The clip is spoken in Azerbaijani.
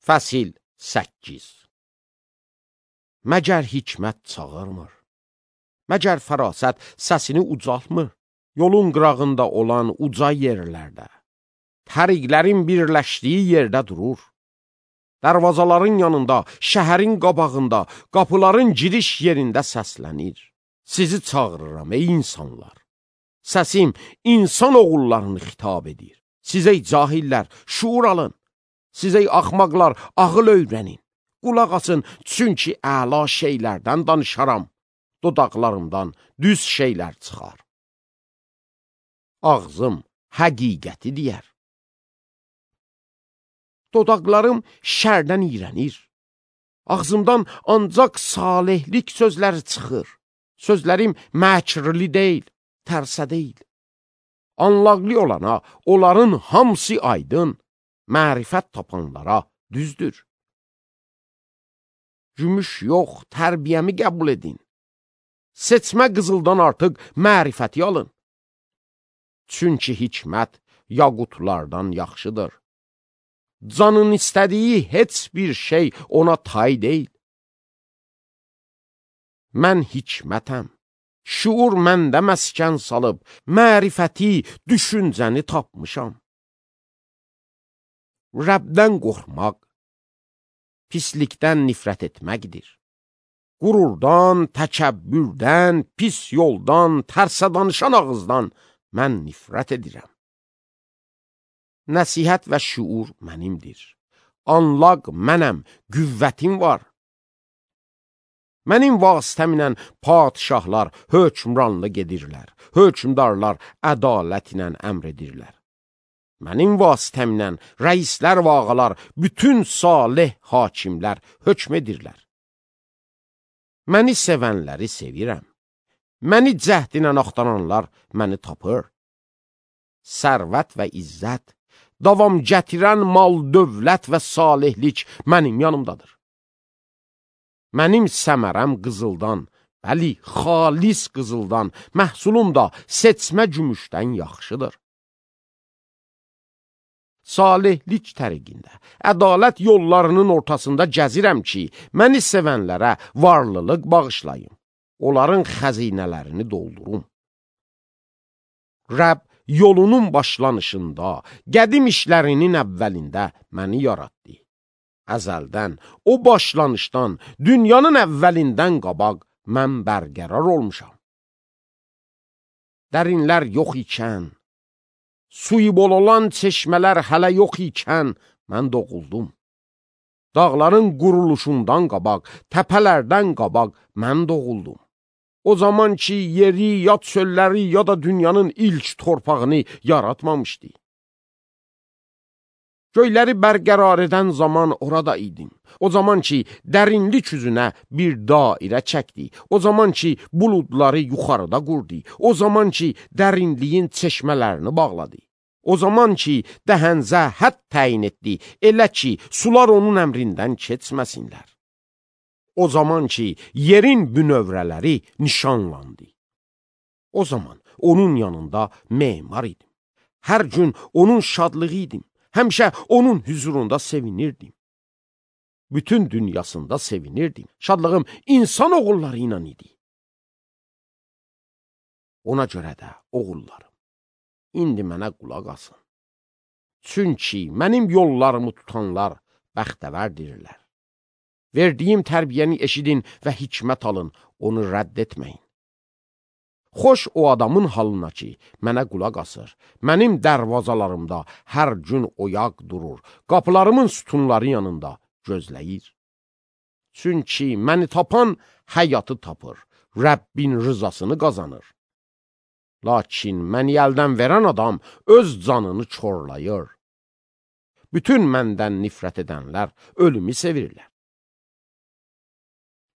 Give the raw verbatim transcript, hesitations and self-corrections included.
Fəsil səkkiz. Məgər hikmət çağırmır, məgər fərasət səsini ucaltmır, yolun qırağında olan uca yerlərdə, təriqlərin birləşdiyi yerdə durur, dərvazaların yanında, şəhərin qabağında, qapıların giriş yerində səslənir. Sizi çağırıram ey insanlar, səsim insan oğullarını xitab edir. Sizə cahillər, şuur alın. Sizə axmaqlar, ağıl öyrənin. Qulaq asın, çünki əla şeylərdən danışaram. Dodaqlarımdan düz şeylər çıxar. Ağzım həqiqəti deyər. Dodaqlarım şərdən iyrənir. Ağzımdan ancaq salihlik sözləri çıxır. Sözlərim məkrli deyil, tərsə deyil. Anlaqlı olana, onların hamısı aydın. Mərifət tapanlara düzdür. Gümüş yox, tərbiyəmi qəbul edin. Seçmə qızıldan artıq mərifəti alın. Çünki hikmət yaqutlardan yaxşıdır. Canın istədiyi heç bir şey ona tay deyil. Mən hikmətəm. Şuur məndə məskən salıb, mərifəti, düşüncəni tapmışam. Rəbdən qorxmaq, pislikdən nifrət etməkdir. Qururdan, təkəbbürdən, pis yoldan, tərsə danışan ağızdan mən nifrət edirəm. Nəsihət və şuur mənimdir. Anlaq mənəm, qüvvətim var. Mənim vasitəmlə padişahlar hökmranlıq edirlər, hökmdarlar ədalətlə əmr edirlər. Mənim vasitəmlə rəislər və ağalar, bütün salih hakimlər hökm edirlər. Məni sevənləri sevirəm. Məni cəhdinə axtaranlar məni tapır. Sərvət və izzət, davam gətirən mal, dövlət və salihlik mənim yanımdadır. Mənim səmərəm qızıldan, bəli, xalis qızıldan, məhsulum da seçmə gümüşdən yaxşıdır. Salihlik təriqində, ədalət yollarının ortasında gəzirəm ki, məni sevənlərə varlılıq bağışlayım, onların xəzinələrini doldurum. Rəbb yolunun başlanışında, qədim işlərinin əvvəlində məni yaratdı. Əzəldən, o başlanışdan, dünyanın əvvəlindən qabaq mən bərqərar olmuşam. Dərinlər yox ikən, suyu bol olan çeşmələr hələ yox ikən mən doğuldum. Dağların quruluşundan qabaq, təpələrdən qabaq mən doğuldum. O zaman ki, yeri, ya çölləri, ya da dünyanın ilk torpağını yaratmamışdı. Göyləri bərqərar edən zaman orada idim. O zaman ki, dərinlik üzünə bir dairə çəkdi. O zaman ki, buludları yuxarıda qurdu. O zaman ki, dərinliyin çeşmələrini bağladı. O zaman ki, dəhənzə hədd təyin etdi, elə ki, sular onun əmrindən keçməsinlər. O zaman ki, yerin bünövrələri nişanlandı. O zaman onun yanında memar idim. Hər gün onun şadlığı idim. Həmişə onun hüzurunda sevinirdim. Bütün dünyasında sevinirdim. Şadlığım insan oğulları ilə idi. Ona görə də oğullarım, indi mənə qulaq asın. Çünki mənim yollarımı tutanlar bəxtəvərdirlər. Verdiyim tərbiyəni eşidin və hikmət alın, onu rədd etməyin. Xoş o adamın halına ki, mənə qulaq asır. Mənim dərvazalarımda hər gün oyaq durur. Qapılarımın sütunları yanında gözləyir. Çünki məni tapan həyatı tapır. Rəbbin rızasını qazanır. Lakin məni əldən verən adam öz canını çorlayır. Bütün məndən nifrət edənlər ölümü sevirlər.